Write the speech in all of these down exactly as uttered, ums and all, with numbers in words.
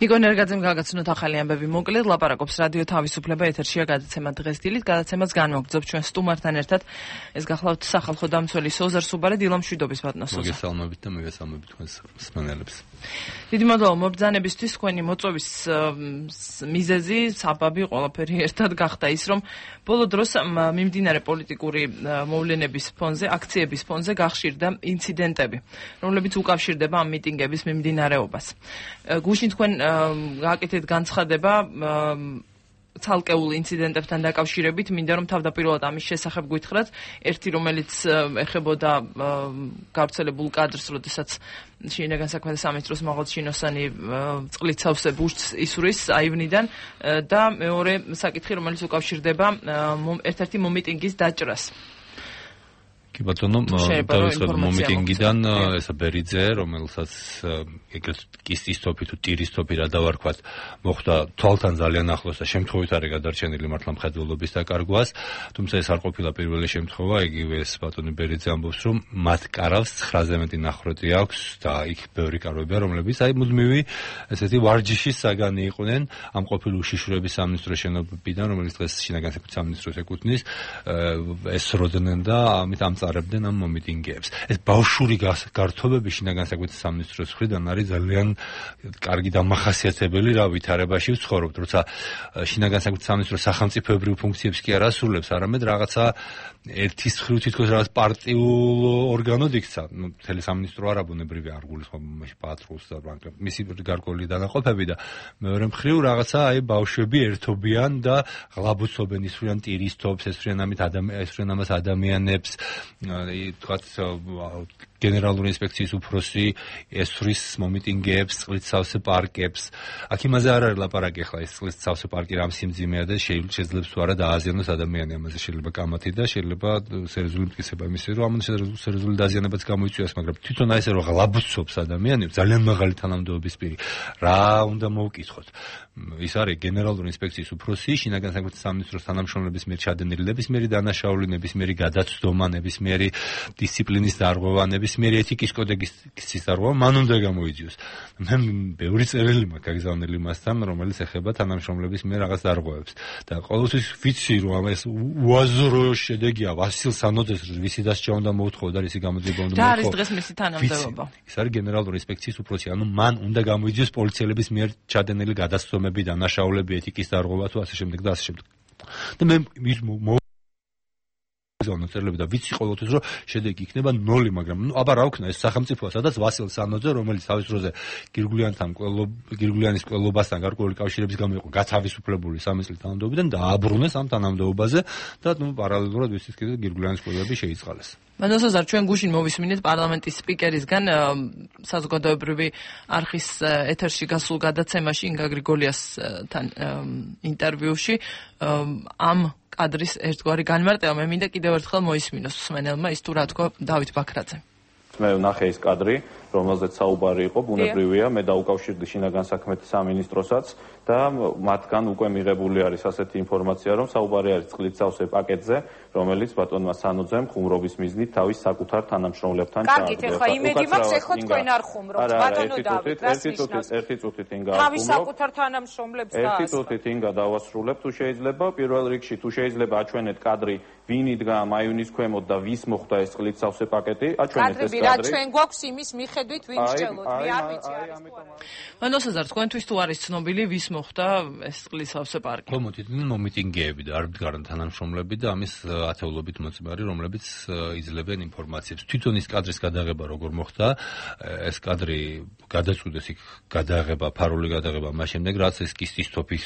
ნიკო ნერგაძემ გაგაცნოთ ახალი ამბები მოკლედ ლაპარაკობს რადიო თავისუფლება ეთერშია გადაცემა დღეს დილით გადაცემას განვაგრძობ ჩვენ სტუმართან ერთად ეს გახლავთ სახალხო დამცველი სოზარ სუბარე დილამშვიდობის ბატონო სოზარ მოგესალმებით და მოგესალმებით თქვენს მსმენელებს დიდი მადლობა მობრძანებისთვის თქვენი მოწვევის მიზეზი საბაბი ყველაფერი ერთად გახდა ის რომ ბოლო დროს მიმდინარე პოლიტიკური მოვლენების ფონზე აქციების ფონზე გახშირდა ინციდენტები რომლებიც უკავშირდება ამ მიტინგების მიმდინარეობას გუშინ თქვენ გააკეთეთ განცხადება ცალკეულ ინციდენტებთან დაკავშირებით მინდა რომ თავდაპირველად ამის შესახებ გითხრათ ერთი რომელიც ეხებოდა გავრცელებულ კადრს როდესაც შინაგან საქმეთა სამინისტროს მაღალ ჩინოსანი წყლით სავსე ბუშტს ისვრის აივნიდან და მეორე საკითხი რომელიც უკავშირდება ერთ-ერთი მომიტინგის დაჭრას კი ბატონო თავისუფლად მომიტინგიდან ესა ბერიძე რომელსაც ეგრეთ კისტის თოფი თუ ტირის თოფი რა დავარქვათ მოხდა თვალთან ძალიან ახლოს და შემთხვევით არის გადარჩენილი მართლა მხედველობის დაკარგვას თუმცა ეს არ ყოფილა პირველი შემთხვევა იგივე ეს ბატონი ბერიძე ამბობს რომ მათ კარავს ცხრაზე მეტი ნახროთი აქვს და იქ ბევრი კარვებია რომლებიც აი მუდმივი ესეთი ვარჯიშის საგანი იყვნენ ამ ყოფილი უშიშროების სამინისტროს შენობიდან რომელიც დღეს შინაგან საქმეთა სამინისტროს ეკუთვნის ესროდნენ და ამით ამ წარებდნენ ამ მომიტინგეებს. ეს ბავშვური გართობები შინაგან საქმეთა სამინისტროს მხრიდან არის ძალიან კარგი დამახასიათებელი რა ვითარებაში ვცხოვრობთ, როცა შინაგან საქმეთა სამინისტრო სახელმწიფოებრივ ფუნქციებს კი არ ასრულებს, არამედ რაღაცა ერთის მხრივ თითქოს რაღაც პარტიულ ორგანოდ იქცა. ნუ მთელი სამინისტრო არა ბუნებრივი არ გულისხმობს პატრულს და მისი გარკვეული დანაყოფები და მეორე მხრივ რაღაცა აი ბავშვები ერთობიან და ღლაბუცობენ ისვრიან ტირის თოფს, ესვრიან ამით ესვრიან ამას ადამიანებს თქვათ გენერალური ინსპექციის უფროსი ესვრის მომიტინგეებს, წყლით სავსე პარკებს. აქ იმაზე არ არის ლაპარაკი ახლა ეს წყლით სავსე პარკი რამ სიმძიმეა და შეიძლება თუ არა დააზიანოს ადამიანი ამაზე შეიძლება კამათი და შეიძლება სერიოზული მტკიცება იმისი რომ ამ სერიოზული დაზიანებაც გამოიწვიოს, მაგრამ თვითონ აი ესე რომ ღლაბუცობს ადამიანებს ძალიან მაღალი თანამდებობის პირი. რა უნდა მოვკითხოთ? ის არის გენერალური ინსპექციის უფროსი, შინაგან საქმეთა სამინისტროს თანამშრომლების მიერ ჩადენილი ნებისმიერი დანაშაული, ნებისმიერი გადაცდომა, ნებისმიერი დისციპლინის დარღვევა, ნებისმიერი ეთიკის კოდექსის დარღვევა მან უნდა გამოიძიოს. მე ბევრი წერილი მაქვს გაგზავნილი მასთან, რომელიც ეხება თანამშრომლების მიერ რაღაც დარღვევებს. და ყოველთვის ვიცი რომ ეს უაზრო შედეგია ვასილ სანოძეს ვისი დასჯა უნდა მოუთხოვო და რისი გამოძიება უნდა და მოუთხოვო. არის დღეს მისი თანამდებობა. ის არის გენერალური ინსპექციის უფროსი, ანუ მან უნდა გამოიძიოს პოლიციელების მიერ ჩადენილი გადაცდომები, დანაშაულები, ეთიკის დარღვევა თუ ასე შემდეგ და ასე შემდეგ. და მე ზონოწერლები და ვიცი ყოველთვის რომ შედეგი იქნება ნოლი, მაგრამ ნუ აბა რა ვქნა ეს სახელმწიფოა, სადაც ვასილ სანოძე, რომელიც თავის დროზე გირგულიანთან გირგულიანის ყველობასთან გარკვეული კავშირების გამო იყო გათავისუფლებული სამი წლის თანამდებობიდან და აბრუნეს ამ თანამდებობაზე და ნუ პარალელურად ვიცით კიდე გირგულიანის ყველობები შეიწყალეს. მანოსოზარ ჩვენ გუშინ მოვისმინეთ პარლამენტის სპიკერისგან საზოგადოებრივი არხის ეთერში გასულ გადაცემაში ინგა გრიგოლიასთან ინტერვიუში ამ კადრის ერთგვარი განმარტება მე მინდა კიდევ ერთხელ მოისმინოს მსმენელმა ის თუ რა თქვა დავით ბაქრაძე. მე ვნახე ის კადრი, რომელზეც საუბარი იყო, ბუნებრივია, მე დაუკავშირდი შინაგან საქმეთა სამინისტროსაც და მათგან უკვე მიღებული არის ასეთი ინფორმაცია, რომ საუბარი არის წყლით სავსე პაკეტზე, რომელიც ბატონმა სანოძემ ხუმრობის მიზნით თავის საკუთარ თანამშრომლებთან ჩააგდო. კარგით, ახლა იმედი მაქვს, ეხლა თქვენ არ ხუმრობთ, ბატონო დავით, რას ნიშნავს? ერთი წუთით ინგა თავის საკუთარ თანამშრომლებს და ერთი წუთით ინგა დავასრულებ, თუ შეიძლება, პირველ რიგში თუ შეიძლება აჩვენეთ კადრი, ვინ იდგა მაიუნის ქვემოთ და ვის მოხდა ეს წყლით სავსე პაკეტი, აჩვენეთ ეს კადრი. რა ჩვენ გვაქვს იმის მიხედვით ვინ შეძლოთ, მე არ ვიცი არის თუ არა. მანოსოზარ თქვენთვის თუ არის ცნობილი ვის მოხდა ეს წყლის სავსე პარკი? მომიტინგები, მომიტინგეები და არ მდგარან თანამშრომლები და ამის ათეულობით მოწმარი, რომლებიც იძლევენ ინფორმაციებს. თვითონ ის კადრის გადაღება როგორ მოხდა, ეს კადრი გადაწყვიტეს იქ გადაღება, ფარული გადაღება, მას შემდეგ რაც ეს კისტის თოფის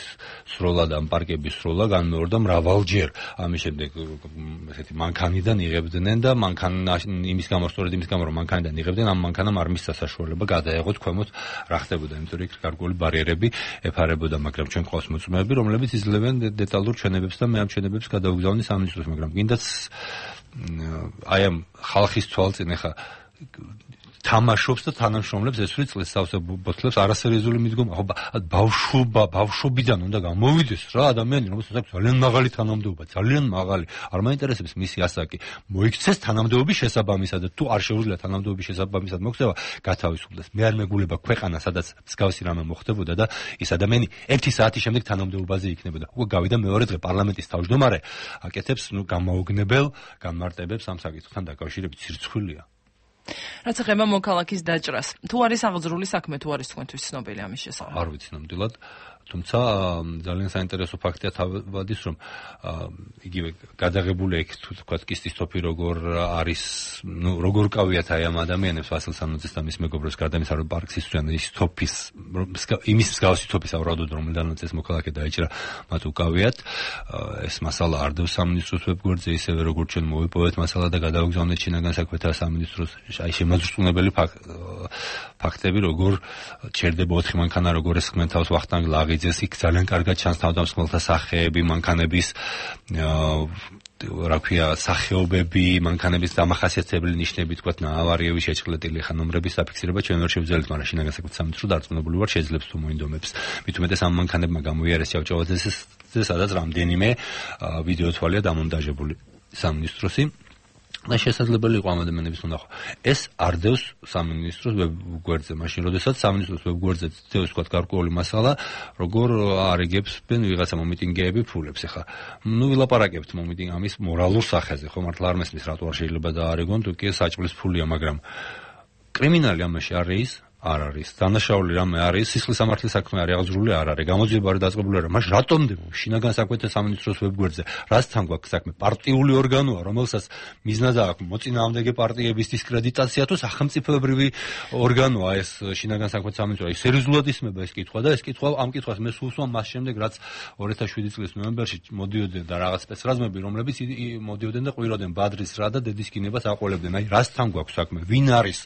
სროლა და პარკების სროლა განმეორდა მრავალჯერ. ამის შემდეგ ესეთი მანქანიდან იღებდნენ და მანქანა იმის გამო, სწორედ იმის გამო რომ მანქანიდან იღებდნენ, ამ მანქანამ არ მისცა საშუალება გადაეღოთ ქვემოთ რა ხდებოდა, იმიტომ რომ იქ გარკვეული ბარიერები ეფარებოდა, მაგრამ ჩვენ ყავს მოწმეები, რომლებიც იძლევენ დეტალურ ჩვენებებს და მე ამ ჩვენებებს გადავგზავნი სამინისტროს, მაგრამ კიდაც აი ამ ხალხის თვალწინ ახლა თამაშობს და თანამშრომლებს ესვრი წლის სავსე ბოთლებს არასერიოზული მიდგომა. ხო ბავშვობა, ბავშვობიდან უნდა გამოვიდეს რა ადამიანი, რომელსაც აქვს ძალიან მაღალი თანამდებობა, ძალიან მაღალი. არ მაინტერესებს მისი ასაკი. მოიქცეს თანამდებობის შესაბამისად და თუ არ შეუძლია თანამდებობის შესაბამისად მოქცევა, გათავისუფლდეს. მე არ მეგულება ქვეყანა, სადაც მსგავსი რამე მოხდებოდა და ის ადამიანი ერთი საათის შემდეგ თანამდებობაზე იქნებოდა. უკვე გავიდა მეორე დღე პარლამენტის თავმჯდომარე აკეთებს ნუ გამოუგნებელ განმარტებებს ამ საკითხთან დაკავშირებით სირცხვილია. რაც ეხება მოქალაქის დაჭრას, თუ არის აღძრული საქმე, თუ არის თქვენთვის ცნობილი ამის შესახებ? არ ვიცი ნამდვილად, თუმცა ძალიან საინტერესო ფაქტია თავადის, რომ იგივე გადაღებული იქ თუ თქვა კისტის თოფი როგორ არის, ნუ როგორ კავიათ აი ამ ადამიანებს ვასილ სანოძეს და მის მეგობრებს გარდა იმისა, რომ პარკს ისვრიან ის თოფის იმის მსგავსი თოფის ავრადოდ რომელდანაც ეს მოქალაქე დაიჭრა, მათ უკავიათ. ეს მასალა არდევს სამინისტროს ვებგვერდზე, ისევე როგორც ჩვენ მოვიპოვეთ მასალა და გადავაგზავნეთ შინაგან საქმეთა სამინისტროს აი შემოწმუნებელი ფაქტები, როგორ ჩერდება ოთხი მანქანა, როგორ ეს ხმენ თავს ვახტანგ ლაღიძეს, იქ ძალიან კარგად ჩანს თავდამსხმელთა სახეები, მანქანების რა ქვია, სახეობები, მანქანების დამახასიათებელი ნიშნები, თქვათ ნაავარიები შეჭრილეტილი ხა ნომრების საფიქსირება ჩვენ ვერ შევძლებთ, მაგრამ შინაგან საქმეთა სამინისტრო დარწმუნებული ვარ შეძლებს თუ მოინდომებს. მით უმეტეს ამ მანქანებმა გამოიარეს ჭავჭავაძეს, სადაც რამდენიმე ვიდეო თვალია დამონტაჟებული სამინისტროსი. და შესაძლებელი იყო ამ ადამიანების უნახო. ეს არდევს სამინისტროს ვებგვერდზე, მაშინ როდესაც სამინისტროს ვებგვერდზე თითოეულ თქვა გარკვეული მასალა, როგორ არიგებსენ ვიღაცა მომიტინგეები ფულებს. ეხლა ნუ ვილაპარაკებთ მომიტინგ ამის მორალურ სახეზე, ხო მართლა არ მესმის რატო არ შეიძლება დაარიგონ, თუ კი საჭმლის ფულია, მაგრამ კრიმინალი ამაში არის არ არის. დანაშაული რამე არის, სისხლის სამართლის საქმე არის, აღძრული არ არის, გამოძიება არ დაწყებული არა. მაშინ რატომ შინაგან საქმეთა სამინისტროს ვებგვერდზე? რასთან გვაქვს საქმე? პარტიული ორგანოა, რომელსაც მიზნად აქვს მოწინააღმდეგე პარტიების დისკრედიტაცია თუ სახელმწიფოებრივი ორგანოა ეს შინაგან საქმეთა სამინისტრო. აი სერიოზულად ისმება ეს კითხვა და ეს კითხვა ამ კითხვას მე სულ ვსვამ მას შემდეგ, რაც ორი ათას შვიდი წლის ნოემბერში მოდიოდნენ და რაღაც სპეცრაზმები, რომლებიც მოდიოდნენ და ყვიროდნენ ბადრის რა და დედის კინებას აყოლებდნენ. აი რასთან გვაქვს საქმე? ვინ არის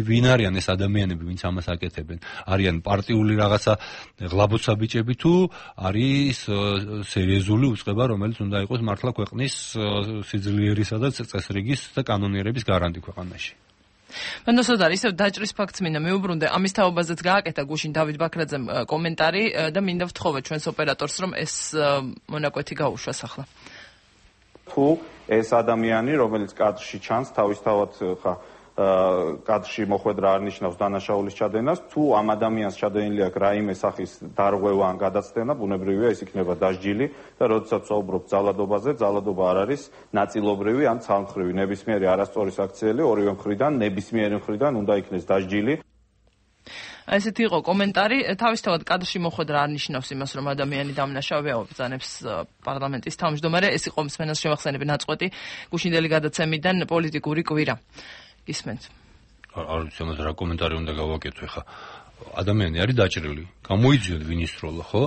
ვინ არიან ეს ადამიანები, ვინც ამას აკეთებენ? არიან პარტიული რაღაცა ღლაბოცა ბიჭები თუ არის სერიოზული უწყება, რომელიც უნდა იყოს მართლა ქვეყნის სიძლიერისა და წესრიგის და კანონიერების გარანტი ქვეყანაში. მანდოსოდარ ისევ დაჭრის ფაქტს მინდა მეუბრუნდე, ამის თაობაზეც გააკეთა გუშინ დავით ბაქრაძემ კომენტარი და მინდა ვთხოვე ჩვენს ოპერატორს, რომ ეს მონაკვეთი გაუშვას ახლა. თუ ეს ადამიანი, რომელიც კადრში ჩანს, თავისთავად ხა კადრში მოხვედრა არ ნიშნავს დანაშაულის ჩადენას, თუ ამ ადამიანს ჩადენილი აქვს რაიმე სახის დარღვევა ან გადაცდენა, ბუნებრივია ის იქნება დასჯილი და როდესაც ვსაუბრობ ძალადობაზე, ძალადობა არ არის ნაწილობრივი ან ცალმხრივი, ნებისმიერი არასწორი საქციელი ორივე მხრიდან, ნებისმიერი მხრიდან უნდა იქნეს დასჯილი. ესეთი იყო კომენტარი. თავისთავად კადრში მოხვედრა არ ნიშნავს იმას, რომ ადამიანი დამნაშავეა, ობრძანებს პარლამენტის თავმჯდომარე. ეს იყო მსმენელს შევახსენები ნაწყვეტი გუშინდელი გადაცემიდან პოლიტიკური კვირა. ისმენთ. არ ვიცი ამაზე რა კომენტარი უნდა გავაკეთო ხა. ადამიანი არის დაჭრილი. გამოიძიოთ ვინ ისროლა, ხო?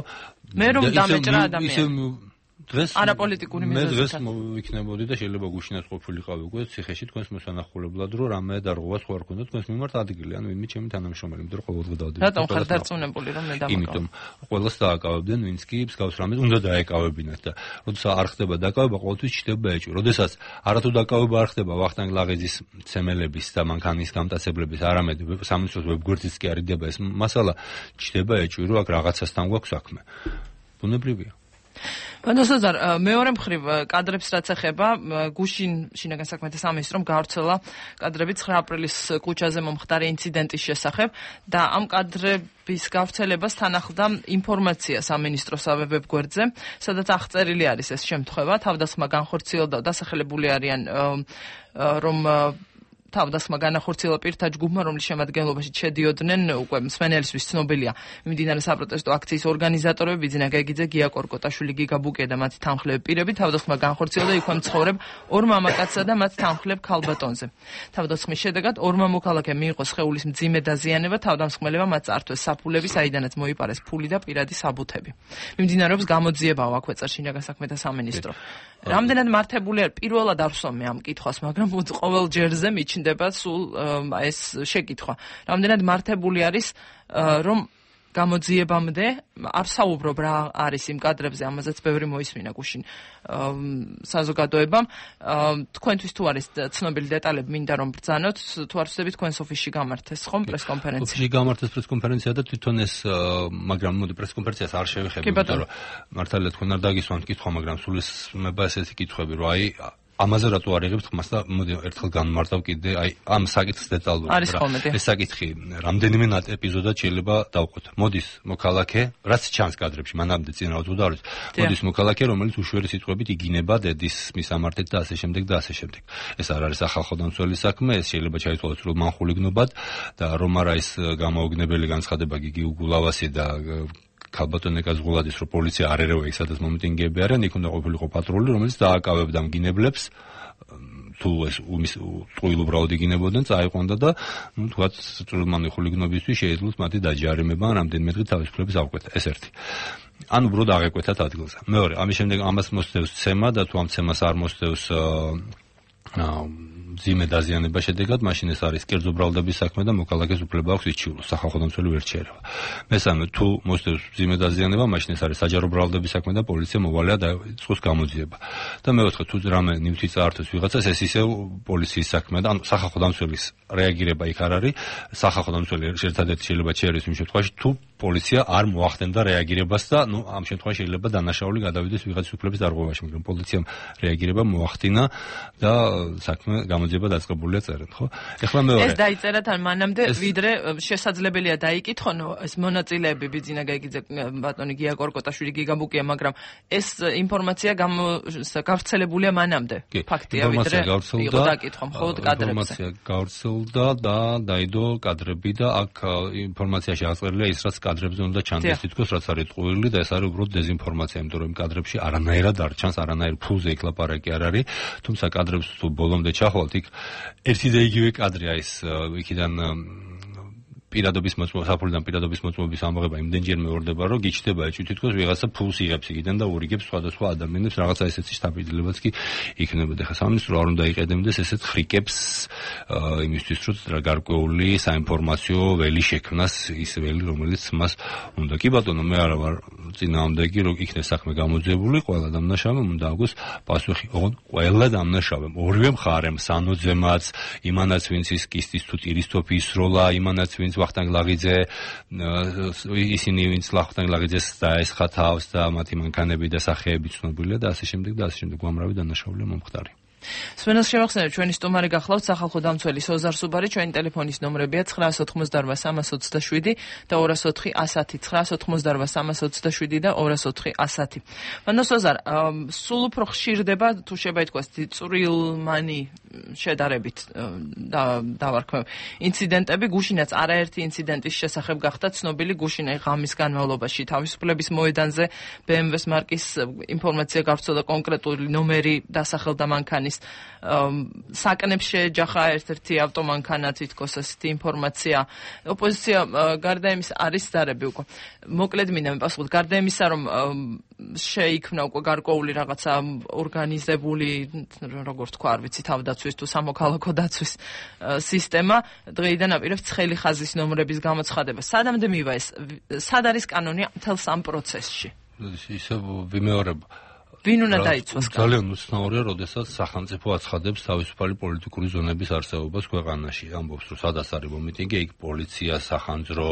მე რომ დამეჭრა ადამიანი. დღეს არაპოლიტიკური მიზეზით. მე დღეს მოვიქნებოდი და შეიძლება გუშინაც ყოფილიყავი უკვე ციხეში თქვენს მოსანახულებლად, რომ რამე დარღვევა სხვა არ ქონდა თქვენს მიმართ ადგილი, ანუ ვინმე ჩემი თანამშრომელი, იმიტომ რომ ყოველდღე დავდივარ. რატომ ხარ დარწმუნებული რომ მე დამაკავებ? იმიტომ ყველას დააკავებდნენ, ვინც კი მსგავს რამეს უნდა დაეკავებინათ და როდესაც არ ხდება დაკავება, ყოველთვის ჩდება ეჭვი. როდესაც არათუ დაკავება არ ხდება ვახტანგ ლაღიძის ცემელების და მანქანის გამტაცებლების, არამედ სამინისტროს ვებგვერდზეც კი არიდება ეს მასალა, ჩდება ეჭვი, რომ აქ რაღაცასთან გვაქვს საქმე. ბუნებრივია. მანდოსოდარ მეორე მხრივ კადრებს რაც ეხება, გუშინ შინაგან საქმეთა სამინისტრომ გავრცელა კადრები ცხრა აპრილის ქუჩაზე მომხდარი ინციდენტის შესახებ და ამ კადრების გავრცელებას თან ახლდა ინფორმაცია სამინისტროს ვებგვერდზე, სადაც აღწერილი არის ეს შემთხვევა, თავდასხმა განხორციელდა, დასახელებული არიან რომ თავდასხმა განახორციელა პირთა ჯგუფმა, რომლის შემადგენლობაში შედიოდნენ უკვე მსმენელისთვის ცნობილია მიმდინარე საპროტესტო აქციის ორგანიზატორები, ბიძინა გეგიძე, გია კორკოტაშვილი, გიგა ბუკე და მათი თანმხლები პირები. თავდასხმა განხორციელდა იქვე მცხოვრებ ორ მამაკაცსა და მათ თანმხლებ ქალბატონზე. თავდასხმის შედეგად ორმა მოქალაქემ მიიღო სხეულის მძიმე დაზიანება, თავდამსხმელებმა მათ წართვეს საფულები, საიდანაც მოიპარეს ფული და პირადი საბუთები. მიმდინარეობს გამოძიებაო, აქვე წერს შინაგან საქმეთა სამინისტრო. რამდენად მართებული არ პირველად არ ვსვამ მე ამ კითხვას, მაგრამ ყოველ ჯერზე მიჩნდება სულ ეს შეკითხვა. რამდენად მართებული არის, რომ გამოძიებამდე არ საუბრობ რა არის იმ კადრებზე, ამაზეც ბევრი მოისმინა გუშინ საზოგადოებამ. თქვენთვის თუ არის ცნობილი დეტალები, მინდა რომ ბრძანოთ, თუ არ ვსწრებით თქვენს ოფისში გამართეს ხომ პრესკონფერენცია? ოფისში გამართეს პრესკონფერენცია და თვითონ ეს მაგრამ მოდი პრესკონფერენციას არ შევეხები, იმიტომ რომ მართალია თქვენ არ დაგისვამთ კითხვა, მაგრამ სულ ეს მეება ესეთი კითხვები, რომ აი ამაზე რატო არ იღებთ ხმას და მოდი ერთხელ განმარტავ კიდე აი ამ საკითხს დეტალურად რა. ეს საკითხი რამდენიმე ეპიზოდად შეიძლება დავყოთ. მოდის მოქალაქე, რაც ჩანს კადრებში, მანამდე წინ რა თქმა უნდა, მოდის მოქალაქე, რომელიც უშვერი სიტყვებით იგინება დედის მისამართით და ასე შემდეგ და ასე შემდეგ. ეს არ არის სახალხო დამცველი საქმე, ეს შეიძლება ჩაითვალოს რომ მანხულიგნობად და რომ არა ის გამოუგნებელი განცხადება გიგი უგულავასი და ქალბატონი გაზღულადის რომ პოლიცია არ ერევა იქ სადაც მომიტინგეები არიან, იქ უნდა ყოფილიყო პატრული, რომელიც დააკავებდა მგინებლებს, თუ ეს უმის ტყუილ უბრალოდ იგინებოდნენ, წაიყვანდა და ნუ თქვათ წვრილმანი ხულიგნობისთვის შეეძლოთ მათი დაჯარიმება, რამდენიმე დღით თავისუფლების აღკვეთა. ეს ერთი. ან უბრალოდ აღეკვეთათ ადგილზე. მეორე, ამის შემდეგ ამას მოსდევს ცემა და თუ ამ ცემას არ მოსდევს ძიმე დაზიანება შედეგად, მაშინ ეს არის კერძო ბრალდების საქმე და მოქალაქეს უფლება აქვს იჩივლოს, სახალხო დამცველი ვერ შეერევა. მესამე, თუ მოსდევს ძიმე დაზიანება, მაშინ ეს არის საჯარო ბრალდების საქმე და პოლიცია მოვალეა დაიწყოს გამოძიება. და მეოთხე, თუ რამე ნივთი წაართვეს ვიღაცას, ეს ისევ პოლიციის საქმეა და ანუ სახალხო დამცველის რეაგირება იქ არ არის. სახალხო დამცველი ერთადერთი შეიძლება შეერეს იმ შემთხვევაში, თუ პოლიცია არ მოახდენდა რეაგირებას და ნუ ამ შემთხვევაში შეიძლება დანაშაული გადავიდეს ვიღაცის უფლების დარღვევაში, მაგრამ პოლიციამ რეაგირება მოახდინა და საქმე გამოძიება დაწყებულია წერენ, ხო? ეხლა მეორე. ეს დაიწერა თან მანამდე, ვიდრე შესაძლებელია დაიკითხონ ეს მონაწილეები ბიძინა გაიგიძე, ბატონი გია კორკოტაშვილი, გიგა ბუკია, მაგრამ ეს ინფორმაცია გავრცელებულია მანამდე. ფაქტია, ვიდრე იყო დაკითხვა მხოლოდ კადრებზე. ინფორმაცია გავრცელდა და დაიდო კადრები და აქ ინფორმაციაში აღწერილია ის, რაც კადრებზე უნდა ჩანდეს, თითქოს რაც არის ტყუილი და ეს არის უბრალოდ დეზინფორმაცია, იმიტომ რომ კადრებში არანაირად არ ჩანს, არანაირ ფულზე იქ ლაპარაკი არ არის, თუმცა კადრებს თუ ბოლომდე ჩახვალთ, იქ ერთი და იგივე კადრია ის იქიდან პირადობის მოწმობა, საფულიდან პირადობის მოწმობის ამოღება იმდენჯერმე ორდება, რომ გიჩნდება ეჭვი თითქოს ვიღაცა ფულს იღებს იქიდან და ურიგებს სხვადასხვა ადამიანებს, რაღაცა ესეთი შთაბეჭდილებაც კი იქნებოდა. ხა სამინისტრო არ უნდა იყედემდეს ესეთ ხრიკებს იმისთვის, რომ გარკვეული საინფორმაციო ველი შექმნას, ის ველი, რომელიც მას უნდა. კი ბატონო, მე არა ვარ წინააღმდეგი, რომ იქნეს საქმე გამოძიებული, ყველა დამნაშავემ უნდა აქვს პასუხი. ოღონდ ყველა დამნაშავემ, ორივე მხარემ, სანოძემაც, იმანაც ვინც ის კისტის თუ ტირის თოფი ისროლა, იმანაც ვინც ვახტანგ ლაღიძე, ისინი ვინც ვახტანგ ლაღიძეს დაესხა თავს და მათი მანქანები და სახეები ცნობილია და ასე შემდეგ და ასე შემდეგ, უამრავი დანაშაულია მომხდარი. სვენელს შევახსენებ, ჩვენი სტუმარი გახლავთ სახალხო დამცველი სოზარ სუბარი, ჩვენი ტელეფონის ნომრებია ცხრაას ოცდაოთხმოცდარვა სამას ოცდაშვიდი და ორას ოთხი ასათი, ცხრაას ოცდაოთხმოცდარვა სამას ოცდაშვიდი და ორას ოთხი ასათი. მანო სოზარ, სულ უფრო ხშირდება, თუ შეიძლება ითქვას, წვრილმანი შედარებით დავარქვევ ინციდენტები, გუშინაც არაერთი ინციდენტის შესახებ გახდა ცნობილი, გუშინ აი ღამის განმავლობაში თავისუფლების მოედანზე ბე ემ ვეს მარკის ინფორმაცია გავრცელდა, კონკრეტული ნომერი დასახელდა მანქანის, საკნებს შეეჯახა ერთ-ერთი ავტომანქანა, თითქოს ასეთი ინფორმაცია. ოპოზიცია გარდა იმის არის ზარები უკვე. მოკლედ მინდა მიპასუხოთ, გარდა იმისა, რომ შეიქმნა უკვე გარკვეული რაღაცა ორგანიზებული, როგორ თქვა, არ ვიცი, თავდაცვის თუ სამოქალაქო დაცვის სისტემა, დღეიდან აპირებს ცხელი ხაზის ნომრების გამოცხადება. სადამდე მივა ეს? სად არის კანონი მთელს ამ პროცესში? ისე ვიმეორებ. ვინ უნდა დაიცვას? ძალიან უცნაურია, როდესაც სახელმწიფო აცხადებს თავისუფალი პოლიტიკური ზონების არსებობას ქვეყანაში. ამბობს, რომ სადაც არის მომიტინგი, იქ პოლიცია, სახანძრო,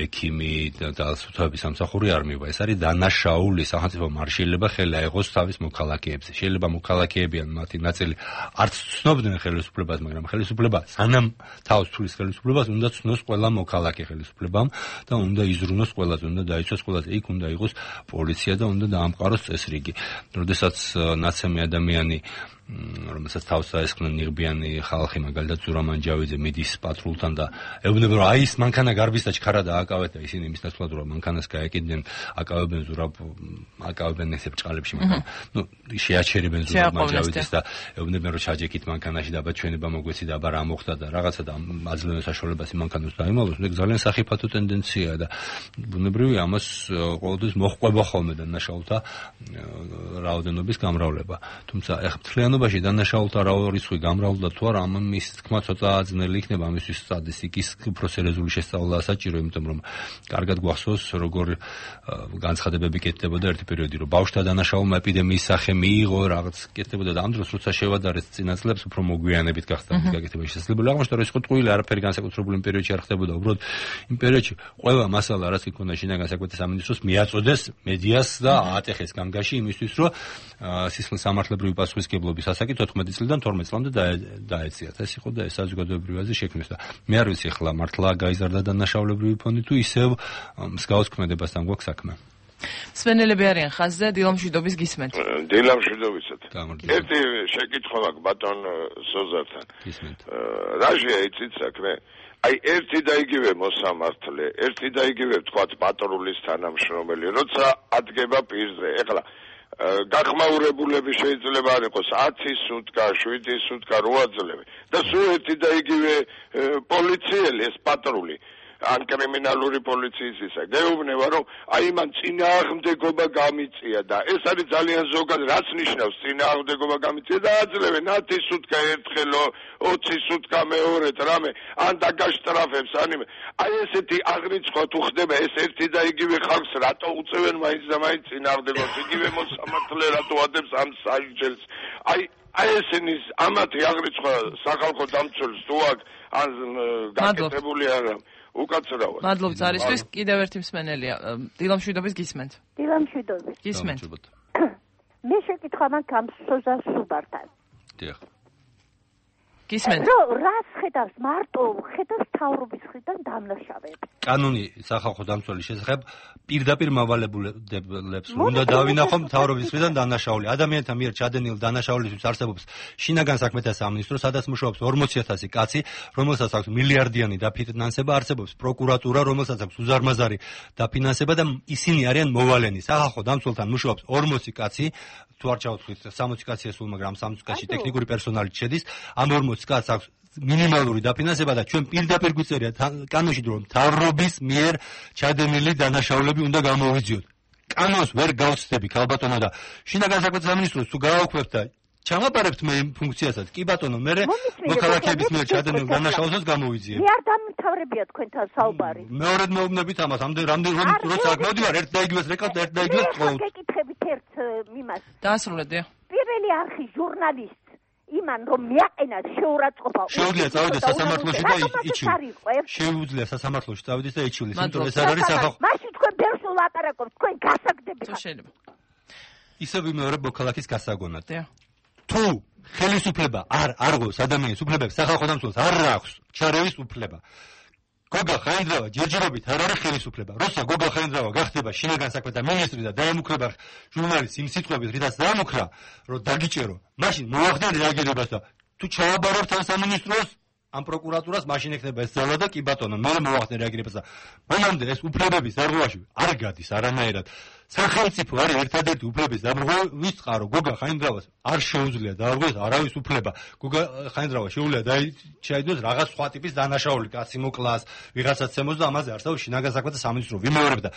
ექიმი და სუთავების სამსახური არ მივა. ეს არის დანაშაული. სახელმწიფომ არ შეიძლება ხელი აიღოს თავის მოქალაქეებზე. შეიძლება მოქალაქეებიან მათი ნაწილი არც ცნობდნენ ხელისუფლებას, მაგრამ ხელისუფლება სანამ თავს თulis ხელისუფლებას უნდა ცნოს ყველა მოქალაქე ხელისუფლებამ და უნდა იზრუნოს ყველაზე, უნდა დაიცვას ყველაზე. იქ უნდა იყოს პოლიცია და უნდა დაამყაროს წესრიგი. როდესაც ნაცემი ადამიანი, რომელსაც თავს დაესხნენ ნიღბიანი ხალხი, მაგალითად ზურამან ჯავიძე მიდის პატრულთან და ეუბნება, რომ აი ეს მანქანა გარბის და ჩქარა დააკავეთ და ისინი იმის ნაცვლად რომ მანქანას გაეკიდნენ, აკავებენ ზურაბ, აკავებენ ესე ბრჭყალებში, მაგრამ ნუ შეაჩერებენ ზურამან ჯავიძეს და ეუბნებიან, რომ ჩაჯექით მანქანაში და აბა ჩვენება მოგვეცი და აბა რა მოხდა და რაღაცა და აძლევენ საშუალებას იმ მანქანას დაიმალოს. ეს ძალიან სახიფათო ტენდენციაა და ბუნებრივია ამას ყოველთვის მოჰყვება ხოლმე და ნაშაულთა რაოდენობის გამრავლება. თუმცა ეხლა მთლიანობა შენობაში დანაშაულთა რისკი გამრავლდა თუ არა, ამის თქმა ცოტა ძნელი იქნება, ამისთვის სტატისტიკის უფრო სერიოზული შესწავლა საჭირო, იმიტომ რომ კარგად გვახსოვს, როგორ განცხადებები კეთდებოდა ერთი პერიოდი, რომ ბავშვთა დანაშაულმა ეპიდემიის სახე მიიღო, რაღაც კეთდებოდა და ამ დროს როცა შევადარეთ წინა წლებს, უფრო მოგვიანებით გახდა მის გაკეთება შესაძლებელი. აღმოჩნდა, რომ ეს ხო ტყუილი არაფერი განსაკუთრებული იმ პერიოდში არ ხდებოდა, უბრალოდ იმ პერიოდში ყველა მასალა, რაც იქონდა შინაგან საქმეთა სამინისტროს, მიაწოდეს მედიას და აატეხეს გამგაში იმისთვის, რომ სისხლის სამართლებრივი პასუხისმგებლობის ასაკი თოთხმეტი წლიდან თორმეტ წლამდე დაეციათ. ეს იყო და ეს საზოგადოებრივაზე შექმნეს და მე არ ვიცი ახლა მართლა გაიზარდა დანაშაულებრივი ფონდი თუ ისევ მსგავს ქმედებასთან გვაქვს საქმე. სვენელები არიან ხაზზე, დილამშვიდობის გისმენთ. დილამშვიდობიცად. ერთი შეკითხვა მაქვს ბატონ სოზართან. გისმენთ. რაშია იცით საქმე? აი ერთი და იგივე მოსამართლე, ერთი და იგივე თქვათ პატრულის თანამშრომელი, როცა ადგება პირზე. ეხლა გახმაურებულები შეიძლება არ იყოს ათი სუტკა, შვიდი სუტკა, რვა წლები და სულ ერთი და იგივე პოლიციელი, ეს პატრული ან კრიმინალური პოლიციის ისა. გეუბნება, რომ აი მან წინააღმდეგობა გამიწია და ეს არის ძალიან ზოგად, რაც ნიშნავს წინააღმდეგობა გამიწია და აძლევენ ათი სუტკა ერთხელო, ოცი სუტკა მეორედ რამე, ან დაგაშტრაფებს, ან აი ესეთი აღრიცხვა თუ ხდება, ეს ერთი და იგივე ხალხს რატო უწევენ მაინც და მაინც წინააღმდეგობას, იგივე მოსამართლე რატო ადებს ამ სასჯელს. აი აი ესენი ამათი აღრიცხვა სახალხო დამცველს თუ აქ ან გაკეთებული არა. უკაცრავად. მადლობთ არისთვის, კიდევ ერთი მსმენელია. დილამშვიდობის გისმენთ. დილამშვიდობის. გისმენთ. მე შეკითხვა მაქვს ამ სოზარ სუბართან. დიახ. გისმენთ. რო რას ხედავს მარტო ხედავს თავრობის ხრიდან დამნაშავეებს. კანონი სახალხო დამცველის შესახებ პირდაპირ მავალებულებს უნდა დავინახო თავრობის მხრიდან დანაშაული. ადამიანთა მიერ ჩადენილ დანაშაულისთვის არსებობს შინაგან საქმეთა სამინისტრო, სადაც მუშაობს ორმოცი ათასი კაცი, რომელსაც აქვს მილიარდიანი დაფინანსება, არსებობს პროკურატურა, რომელსაც აქვს უზარმაზარი დაფინანსება და ისინი არიან მოვალენი. სახალხო დამცველთან მუშაობს ორმოცი კაცი, თუ არ ჩავთვლით სამოცი კაცია სულ, მაგრამ სამოცი კაცი ტექნიკური პერსონალი შედის. ამ ორმოცი კაცს აქვს მინიმალური დაფინანსება და ჩვენ პირდაპირ გვიწერია კანონში, რომ თავრობის მიერ ჩადენილი დანაშაულები უნდა გამოვიძიოთ. კანონს ვერ გავცდები ქალბატონო და შინაგან საქმეთა სამინისტროს თუ გავაქვეყნებთ და ჩამაბარებთ მე იმ ფუნქციასაც, კი ბატონო, მე მოქალაქეების მიერ ჩადენილ დანაშაულსაც გამოვიძიებ. მე არ დამთავრებია თქვენთან საუბარი. მეორედ მეუბნებით ამას, ამდენ რამდენ რომ როცა აქ მოვდივარ, ერთ და იგივეს რეკავთ, ერთ და იგივეს თხოვთ. გეკითხებით ერთ მიმას. დაასრულეთ. პირველი არხი ჟურნალისტ იმან რომ მიაყენა შეურაცხყოფა. შეუძლია წავიდეს სასამართლოში და იჩივლეს. შეუძლია სასამართლოში წავიდეს და იჩივლეს, იმიტომ ეს არ არის სახალხო. მაშინ თქვენ ბერს ულაპარაკობთ, თქვენ გასაგდებით. შეიძლება. ისე ვიმეორებ მოქალაქის გასაგონად. დიახ. თუ ხელისუფლება არ არღოს ადამიანის უფლებებს, სახალხო დამცველს არ აქვს ჩარევის უფლება. გოგა ხაინდრავა ჯერჯერობით არ არის ხელისუფლება. როცა გოგა ხაინდრავა გახდება შინაგან საქმეთა მინისტრი და დაემუქრება ჟურნალის იმ სიტყვებით, რითაც დაემუქრა, რომ დაგიჭერო, მაშინ მოახდენ რეაგირებას და თუ ჩავაბარებთ ამ სამინისტროს, ამ პროკურატურას, მაშინ ექნება ეს ძალა და კი ბატონო, მე მოახდენ რეაგირებას და მანამდე ეს უფლებების დარღვევაში არ გადის არანაირად. სახელმწიფო არის ერთადერთი უფლების დარღვევა, ვის წყარო გოგა ხაინდრავას არ შეუძლია დაარღვევას არავის უფლება. გოგა ხაინდრავა შეუძლია დაიჩაიდოს რაღაც სხვა ტიპის დანაშაული, კაცი მოკლას, ვიღაცაც ემოს და ამაზე არსებობს შინაგან საქმეთა სამინისტრო. ვიმეორებ და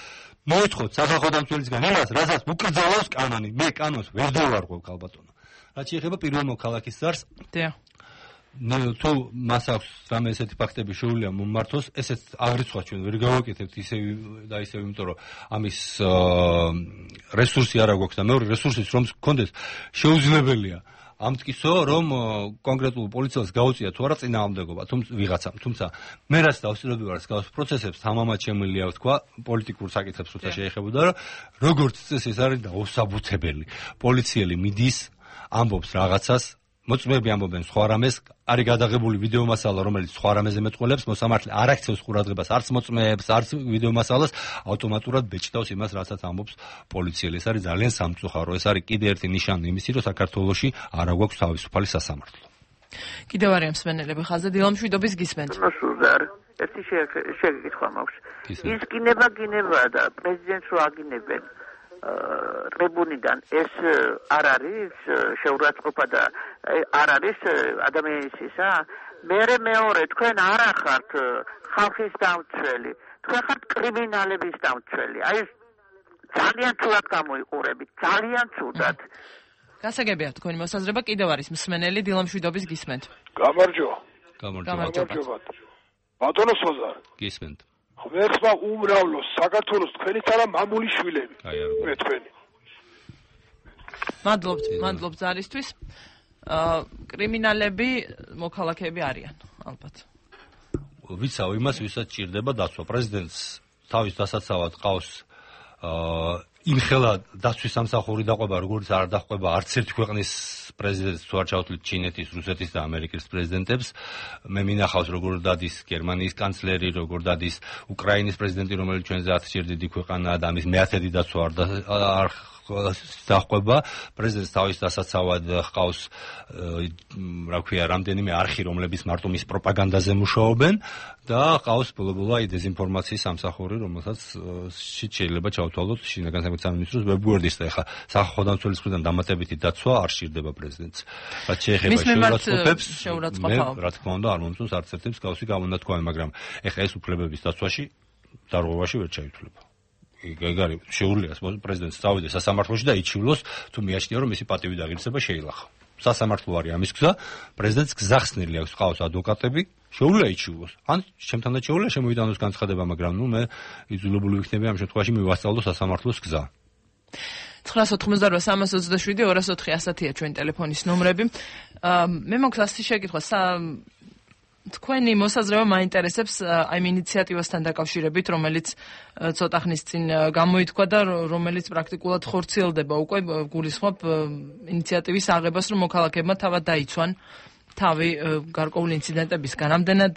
მოითხოვთ სახალხო დამცველისგან იმას, რასაც უკრძალავს კანონი. მე კანონს ვერ დავარღვევ ქალბატონო. რაც შეეხება პირველ მოქალაქის ზარს, დიახ. თუ მას აქვს რამე ესეთი ფაქტები შეუძლია მომმართოს, ესეც აღრიცხვა ჩვენ ვერ გავაკეთებთ ისე და ისე, იმიტომ რომ ამის რესურსი არ აქვს და მეორე რესურსიც რომ გქონდეს შეუძლებელია ამტკიცო, რომ კონკრეტულ პოლიციელს გაუწია თუ არა წინააღმდეგობა, თუმცა ვიღაცამ, თუმცა მე რაც დავსწრები ვარ სკაუს პროცესებს, თამამად შემიძლია ვთქვა პოლიტიკურ საკითხებს როცა შეეხებოდა, რომ როგორც წესი ეს არის დაუსაბუთებელი. პოლიციელი მიდის, ამბობს რაღაცას, მოწმეები ამბობენ სხვა რამეს, არის გადაღებული ვიდეო მასალა, რომელიც სხვა რამეზე მეტყველებს, მოსამართლე არ აქცევს ყურადღებას არც მოწმეებს, არც ვიდეო მასალას, ავტომატურად ბეჭდავს იმას, რასაც ამბობს პოლიციელი. ეს არის ძალიან სამწუხარო, ეს არის კიდე ერთი ნიშანი იმისი, რომ საქართველოში არ აქვს თავისუფალი სასამართლო. კიდევ არის მსმენელები ხაზზე, დილამშვიდობის გისმენთ. მოსულდარ, ერთი შეკითხვა მაქვს. ის გინება გინება და პრეზიდენტს რო აგინებენ ტრიბუნიდან ეს არ არის შეურაცხყოფა და არ არის ადამიანის ისა. მერე მეორე, თქვენ არ ახართ ხალხის დამცველი, თქვენ ხართ კრიმინალების დამცველი. აი ეს ძალიან ცუდად გამოიყურებით, ძალიან ცუდად. გასაგებია თქვენი მოსაზრება, კიდევ არის მსმენელი დილამშვიდობის გისმენთ. გამარჯობა. გამარჯობა. ბატონო სოზარ. გისმენთ. ღმერთმა უმრავლოს საქართველოს თქვენით არა მამული შვილები. აი არ მე თქვენი. მადლობთ, მადლობთ ზარისთვის. აა კრიმინალები მოქალაქეები არიან, ალბათ. ვიცავ იმას, ვისაც ჭირდება დაცვა. პრეზიდენტს თავის დასაცავად ყავს აა იმხელა დაცვის სამსახური დაყვება, როგორც არ დაყვება არც ერთ ქვეყნის პრეზიდენტს, თუ არ ჩავთვლით ჩინეთის, რუსეთის და ამერიკის პრეზიდენტებს. მე მინახავს როგორ დადის გერმანიის კანცლერი, როგორ დადის უკრაინის პრეზიდენტი, რომელიც ჩვენზე ათი დიდი ქვეყანაა და ამის მეათედი დაცვა არ დაყვება. პრეზიდენტს თავის დასაცავად ყავს რა ქვია, რამდენიმე არხი, რომლებიც მარტო მის პროპაგანდაზე მუშაობენ და ყავს ბოლო-ბოლო აი დეზინფორმაციის სამსახური, რომელსაც შეიძლება ჩავთვალოთ შინაგან საქმეთა სამინისტროს ვებგვერდის და ეხა სახალხო დამცველის მხრიდან დამატებითი დაცვა არ სჭირდება პრეზიდენტს. რაც შეეხება შეურაცხყოფებს, მე რა თქმა უნდა არ მომწონს არც ერთი მსგავსი გამონათქვამი, მაგრამ ეხა ეს უფლებების დაცვაში დარღვევაში ვერ ჩაითვლება. გეგარი შეუძლია პრეზიდენტს წავიდეს სასამართლოში და იჩივლოს, თუ მიაჩნია რომ მისი პატივი და ღირსება შეილახა. სასამართლო არის ამის გზა, პრეზიდენტს გზახსნილი აქვს, ყავს ადვოკატები, შეუძლია იჩივლოს. ან ჩემთან და შეუძლია შემოიტანოს განცხადება, მაგრამ ნუ მე იძულებული ვიქნები ამ შემთხვევაში მივასწავლო სასამართლოს გზა. ცხრაას ოთხმოცდაორვა სამას ოცდაშვიდი ორას ოთხი ასათია ჩვენი ტელეფონის ნომრები. მე მაქვს ასეთი შეკითხვა, თქვენი მოსაზრება მაინტერესებს აი ამ ინიციატივასთან დაკავშირებით, რომელიც ცოტა ხნის წინ გამოითქვა და რომელიც პრაქტიკულად ხორციელდება უკვე, გულისხმობ ინიციატივის აღებას, რომ მოქალაქეებმა თავად დაიცვან თავი გარკვეული ინციდენტებისგან. ამდენად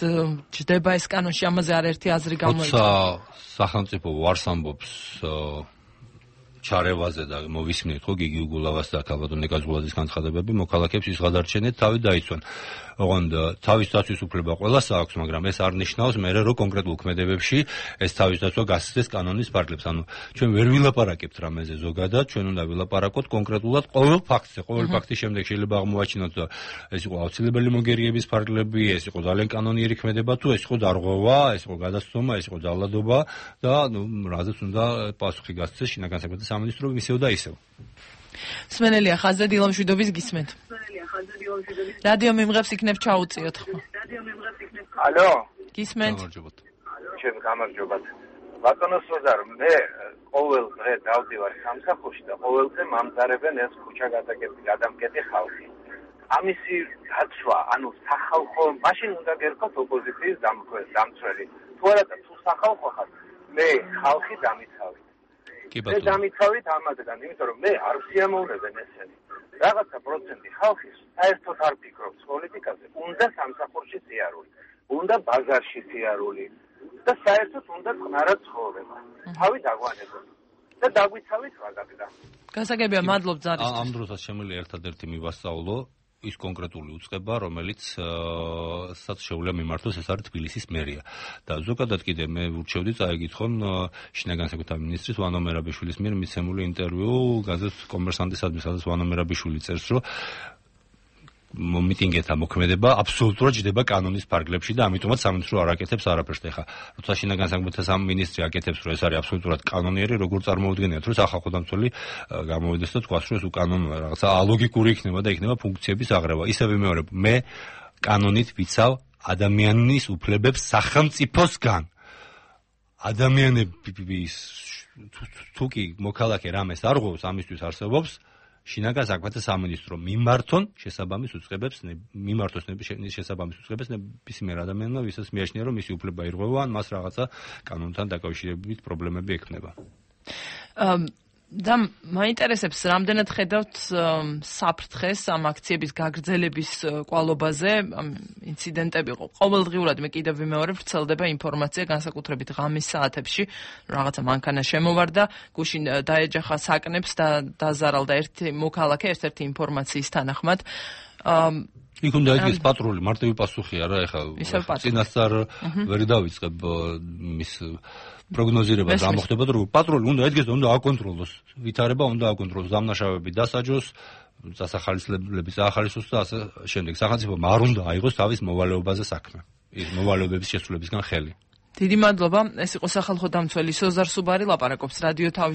ჯდება ეს კანონში, ამაზე არაერთი აზრი გამოიწვია. როცა სახელმწიფო ვარს ამბობს ჩარევაზე და მოვისმინეთ ხო გიგი უგულავას და ქალბატონ ნიკაზგულაძის განცხადებები, მოქალაქეებს ის გადარჩენეთ თავი დაიცვან. ოღონდ თავის დაცვის უფლება ყველას აქვს, მაგრამ ეს არ ნიშნავს მე რომ კონკრეტულ ქმედებებში ეს თავის დაცვა გასცდეს კანონის ფარგლებს. ანუ ჩვენ ვერ ვილაპარაკებთ რამეზე ზოგადად, ჩვენ უნდა ვილაპარაკოთ კონკრეტულად ყოველ ფაქტზე. ყოველ ფაქტის შემდეგ შეიძლება აღმოაჩინოთ ეს იყო აუცილებელი მოგერიების ფარგლები, ეს იყო ძალიან კანონიერი ქმედება, თუ ეს იყო დარღვევა, ეს იყო გადაცდომა, ეს იყო ძალადობა და ნუ რაზეც უნდა პასუხი გასცეს შინაგან საქმეთა სამინისტრო ისევ და ისევ. მსმენელია ხაზზე დილამშვიდობის გისმენთ. რადიო მიმღებს იქნებ ჩაუწიოთ ხო? ალო? გისმენთ. ჩემ გამარჯობათ. ბატონო სოზარ, მე ყოველ დღე დავდივარ სამსახურში და ყოველდღე მამზარებენ ეს ქუჩა გადამკეტი ხალხი. ამისი დაცვა, ანუ სახალხო, მაშინ უნდა გერქოთ ოპოზიციის დამცველი. თუ არა და თუ სახალხო ხარ, მე ხალხი დამიცავი. მე დამიცავით ამათგან, იმიტომ რომ მე არ ვსიამოვნებენ ესენი. რაღაცა პროცენტი ხალხის საერთოდ არ ფიქრობს პოლიტიკაზე, უნდა სამსახურში სიარული, უნდა ბაზარში სიარული და საერთოდ უნდა წყნარად ცხოვრება. თავი დაგვანებოთ და დაგვიცავით მაგაგდა. გასაგებია, მადლობ ზარისთვის. ამ დროსაც შემიძლია ერთადერთი მივასწავლო ის კონკრეტული უწყება, რომელიც საც შეუძლია მიმართოს, ეს არის თბილისის მერია. და ზოგადად კიდე მე ურჩევდი წაიგითხონ შინაგან საქმეთა მინისტრის ვანო მერაბიშვილის მიერ მიცემული ინტერვიუ გაზეთ კომერსანტისადმი, სადაც ვანო მერაბიშვილი წერს, რომ მიტინგეთა მოქმედება აბსოლუტურად ჯდება კანონის ფარგლებში და ამიტომაც სამინისტრო არ აკეთებს არაფერს. ეხლა როცა შინაგან საქმეთა სამინისტრი აკეთებს, რომ ეს არის აბსოლუტურად კანონიერი, როგორ წარმოუდგენიათ, რომ სახალხო დამცველი გამოვიდეს და თქვას, რომ ეს უკანონოა, რაღაცა ალოგიკური იქნება და იქნება ფუნქციების აღრევა. ისევ ვიმეორებ, მე კანონით ვიცავ ადამიანის უფლებებს სახელმწიფოსგან. ადამიანების თუ კი მოქალაქე რამეს არ ღვევს, ამისთვის არსებობს შინაგან საქმეთა სამინისტრო მიმართონ შესაბამის უწყებებს, მიმართოს შესაბამის უწყებებს ნებისმიერ ადამიანმა, ვისაც მიაჩნია, რომ მისი უფლება ირღვევა, ან მას რაღაცა კანონთან დაკავშირებით პრობლემები ექნება. და მაინტერესებს, რამდენად ხედავთ საფრთხეს ამ აქციების გაგრძელების კვალობაზე, ამ ინციდენტები ყოველდღიურად, მე კიდევ ვიმეორებ, ვრცელდება ინფორმაცია, განსაკუთრებით ღამის საათებში, რაღაცა მანქანა შემოვარდა, გუშინ დაეჯახა საკნებს და დაზარალდა ერთი მოქალაქე, ერთ-ერთი ინფორმაციის თანახმად. იქ უნდა იგეს პატრული, მარტივი პასუხი არა, ეხლა წინასწარ ვერ დავიწყებ მის პროგნოზირებას რა მოხდება და რომ პატრული უნდა ედგეს და უნდა აკონტროლოს, ვითარება უნდა აკონტროლოს, დამნაშავეები დასაჯოს, დასახალისლებლების ახალისოს და ასე შემდეგ. სახელმწიფომ არ უნდა აიღოს თავის მოვალეობაზე საქმე, ის მოვალეობების შესრულებისგან ხელი. დიდი მადლობა, ეს იყო სახალხო დამცველი სოზარ სუბარი, ლაპარაკობს რადიო თავის